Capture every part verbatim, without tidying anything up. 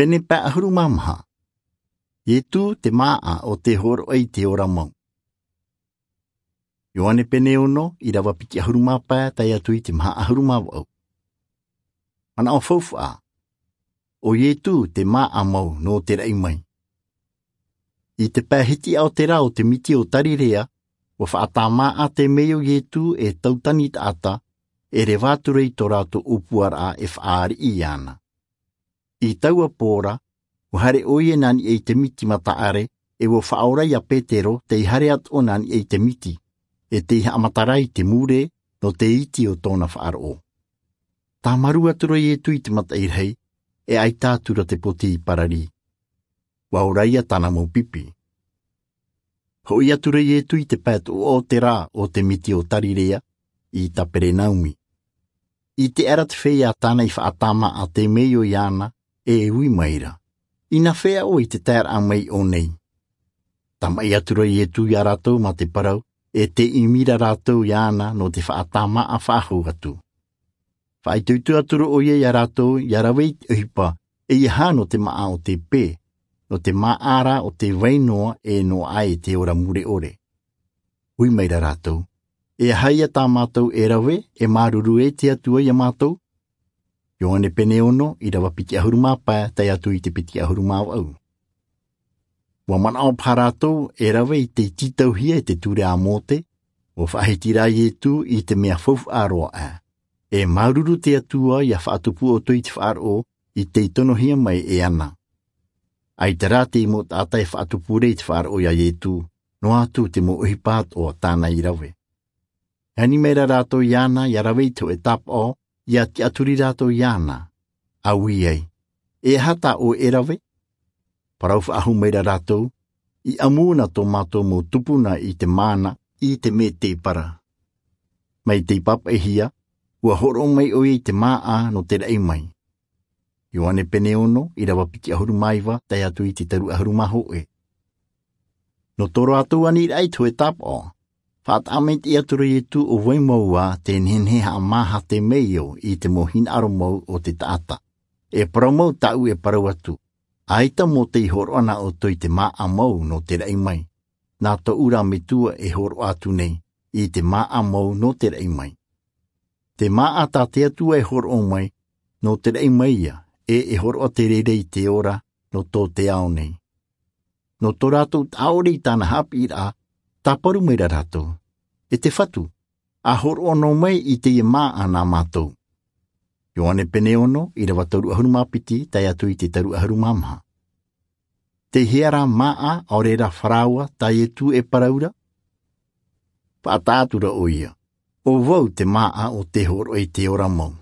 Pene pae ʻahuru mā maha. Ietu te māʻa o te hōroʻa i te ora mau. Ioane pene ono, ʻirava piti ʻahuru mā pae, tae atu i te maha ʻahuru mā vaʻu. Manaʻo faufaʻa. ʻO Ietu te māʻa mau nō te raʻi mai. I te pae hitiʻa o te rā o te miti o Tarirea, ʻua faʻatāmāʻa teie nei ʻo Ietu e tautani taʻata, e reva atu ra i tō rātou ʻōpuaraʻa e faʻaariʻi iāna. I taua pō ra, ʻua haere ʻoia nā niʻa i te miti mataʻare, e ʻua faʻaora ia Petero tei haere atoʻa nā niʻa i te miti, e tei haʻamata ra i te mure nō te iti o tōna faʻaroʻo. Tāmarū atu ra Ietu i te mataʻi rahi, e ʻaita atu ra te poti i parari. ʻUa ora ia tāna mau pipi. Hoʻi atu ra Ietu i te pae toʻoʻa o te rā o te miti o Tarirea, i Kaperenaumi. ʻIte aʻera te feiā tāna i faʻatāmāʻa teie nei ʻo iāna, e ui mai ra, ʻInā fea ʻoe i te taeraʻa mai i ʻō nei? Tāmaʻi atu ra Ietu iā rātou mā te parau, e tei ʻimi ra rātou iāna nō te faʻatāmāʻa faʻahou atu. Faʻaitoito atu ra ʻoia iā rātou, ʻia rave i te ʻohipa, ʻeiaha nō te māʻa o te pē, nō te māʻa ra o te vai noa e noaʻa i te ora mure ʻore. Ui mai ra rātou, E aha ia tā mātou e rave, e māuruuru ai te Atua iā mātou? Ioane pene ono, ʻirava piti ʻahuru mā pae, tae atu i te piti ʻahuru mā vaʻu. ʻUa manaʻo paha rātou e rave i te tītauhia e te ture a Mōte, ʻua faʻahiti rā Ietu i te mea faufaʻa roa aʻe. E māuruuru te Atua ʻia faʻatupu ʻoutou i te faʻaroʻo i tei tonohia mai e ana. ʻAita rā te mau taʻata e faʻatupu ra i te faʻaroʻo iā Ietu, noa atu te mau ʻohipa atoʻa tāna i rave. E ani mai ra rātou iāna ʻia rave i te hōʻē tāpaʻo, ʻia tiʻaturi rātou iāna, ʻa ui ai, E aha tā ʻoe e rave? Parau faʻahou mai ra rātou, I ʻamu na tō mātou mau tupuna i te māna, i te mētēpara. Mai tei pāpaʻihia, ʻua hōroʻa mai ʻoia i te māʻa nō te raʻi mai. Ioane pene ono, ʻirava piti ʻahuru mā iva, tae atu i te toru ʻahuru mā hōʻē. Nō tō rātou aniraʻa i te hōʻē tāpaʻo, faʻataʻa maitaʻi atu ra Ietu ʻo vai mau ā te nehenehe haʻamāha teie nei ʻo i te mau hinaʻaro mau o te taʻata. E parau mau tāʻu e parau atu, ʻAita Mōte i hōroʻa nā ʻoutou i te māʻa mau nō te raʻi mai. Nā tōʻu rā Metua e hōroʻa atu nei, i te māʻa mau nō te raʻi mai. Te māʻa tā te Atua e hōroʻa mai, nō te raʻi mai ia, e e hōroʻa te reira i te ora, nō tō te ao nei. Nō tō rātou taʻa ʻore i tāna haʻapiʻiraʻa, tāparu mai ra rātou, E te Fatu, ʻa hōroʻa noa mai i teie māʻa nā mātou. Ioane pene ono, ʻirava toru ʻahuru mā piti, tae atu i te toru ʻahuru mā maha. Tei hea rā māʻa, ʻaore rā faraoa, tā Ietu e parau ra? Faʻataʻa atu ra ʻoia, ʻO vau te māʻa o te hōroʻa i te ora mau.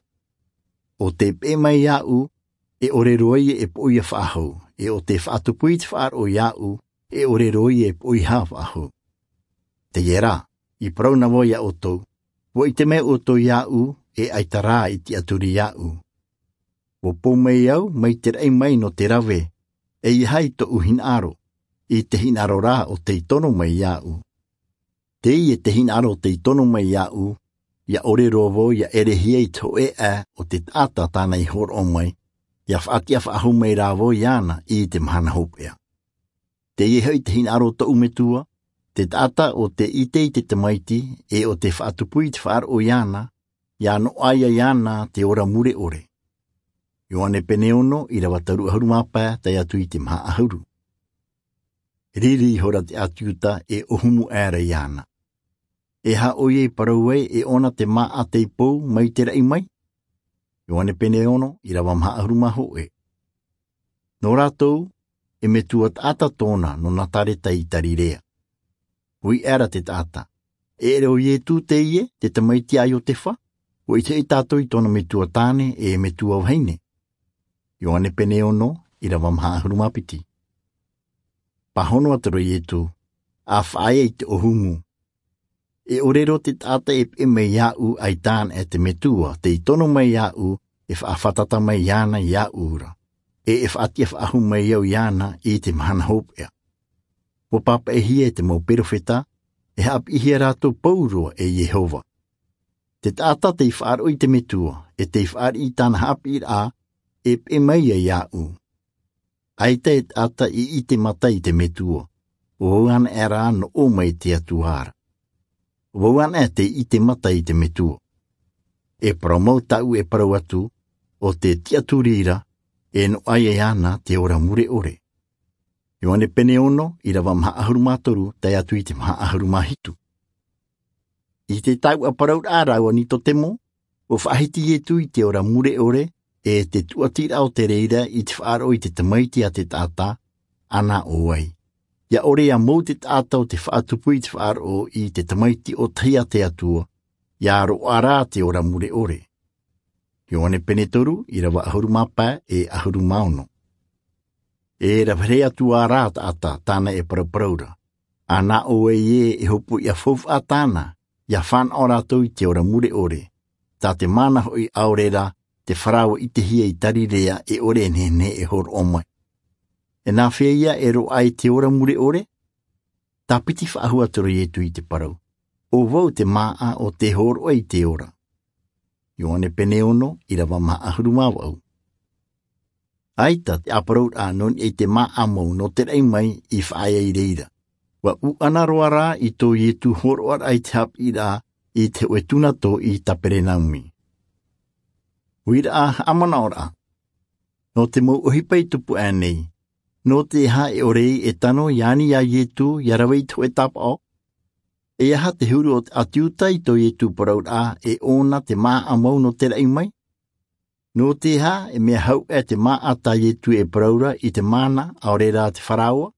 ʻO tē peʻe mai iāʻu, e ʻore roa ia e poʻia faʻahou, e ʻo tē faʻatupu i te faʻaroʻo iāʻu, e ʻore roa ia e poʻihā faʻahou. Teie rā, i parau na vau iā ʻoutou, ʻUa ʻite mai ʻoutou iāʻu, e ʻaita rā i tiʻaturi iāʻu. ʻUa pou mai au, mai te raʻi mai nō te rave, ʻeiaha i tōʻu hinaʻaro, i te hinaʻaro rā o tei tono mai iāʻu. Teie te hinaʻaro o tei tono mai iāʻu, ʻia ʻore roa vau ʻia ʻerehia i te hōʻē ʻae o te taʻata tāna i hōroʻa mai, ʻia faʻatiʻa faʻahou mai rā vau iāna i te mahana hopeʻa. Teie hoʻi te hinaʻaro o tōʻu Metua, te taʻata ʻo tē ʻite i te Tamaiti, e ʻo tē faʻatupu i te faʻaroʻo iāna, ʻia noaʻa ia iāna te ora mure ʻore. Ioane pene ono, ʻirava toru ʻahuru mā pae, tae atu i te maha ʻahuru. Riri ihora te ʻāti Iuta e ʻōhumu aʻera iāna. E aha ʻoia i parau ai e ʻona te māʻa tei pou mai te raʻi mai? Ioane pene ono, ʻirava maha ʻahuru mā hōʻē. Nō rātou, e metua taʻata tōna nō Nazareta i Galilaia. Ui aʻera te taʻata, E ʻere ʻo Iesu teie, te tamaiti a Iosefa? ʻUa ʻite hoʻi tātou i tōna metua tāne e metua vahine. Ioane pene ono, ʻirava maha ʻahuru mā piti. Pāhono atu ra Iesu, ʻa faʻaea i te ʻōhumu. E ʻore roa te taʻata e peʻe mai iāʻu ʻaita anaʻe te Metua tei tono mai iāʻu, e faʻafātata mai iāna iāʻu ra, e e faʻatiʻa faʻahou mai au iāna i te mahana hopeʻa. ʻUa pāpaʻihia e te mau perofeta, e haʻapiʻihia rātou pauroa e Iehova. Te taʻata tei faʻaroʻo i te Metua, e tei fāriʻi i tāna haʻapiʻiraʻa, e peʻe mai ia iāʻu. ʻAita e taʻata i ʻite mata i te metua. ʻO vau anaʻe rā nō ʻō mai te Atua ra. ʻO vau anaʻe tei ʻite mata i te metua. E parau mau tāʻu e parau atu, ʻo te tiʻaturi ra, e noaʻa iāna te ora mure ʻore. Ioane pene ono, ʻirava maha ʻahuru mā toru tae atu i te maha ʻahuru mā hitu. I te taua parauraʻa rāua Nikotemo, ʻua faʻahiti Ietu i te ora mure ʻore, e te tuatiraʻa o te reira i te faʻaroʻo i te tamaiti a te taʻata, ʻana ʻo vai? ʻIa ʻore ʻia mau te taʻata o te faʻatupu i te faʻaroʻo i te tamaiti ʻōtahi a te Atua, ʻia roaʻa rā te ora mure ʻore. Ioane pene toru, ʻirava ʻahuru mā pae e ʻahuru mā ono. E rave atu ā rā taʻata tāna e parauparau ra. ʻAna ʻo vai ē e hopoiʻa faufaʻa tāna, ʻia fānaʻo rātou i te ora mure ʻore. Tā te mana hoʻi ʻaore rā, te faraoa ʻitehia i Tarirea e ʻore e nehenehe e hōroʻa mai. E nā fea ïa e roaʻa i te ora mure ʻore? Tāpiti faʻahou atu ra Ietu i te parau. ʻO vau te māʻa ʻo tē hōroʻa i te ora. Ioane pene ono, ʻirava maha ʻahuru mā vaʻu. ʻAita te ʻāparauraʻa nō niʻa i te māʻa mau nō te raʻi mai i faʻaea i reira. ʻUa ʻuʻana roa rā i tō Ietu hōroʻaraʻa i te haʻapiʻiraʻa i te hōʻē tūnato i Kaperenaumi. ʻUiraʻa haʻamanaʻoraʻa. Nō te mau ʻohipa i tupu aʻe nei. Nō te aha e ʻore ai e tano ʻia ani iā Ietu ʻia rave i te hōʻē tāpaʻo? E aha te huru o te ʻĀti Iuta i tō Ietu parauraʻa e ʻōna te māʻa mau nō te raʻi mai? Nō te aha e mea hau aʻe te māʻa tā Ietu e parau ra i te mana ʻaore rā te faraoa?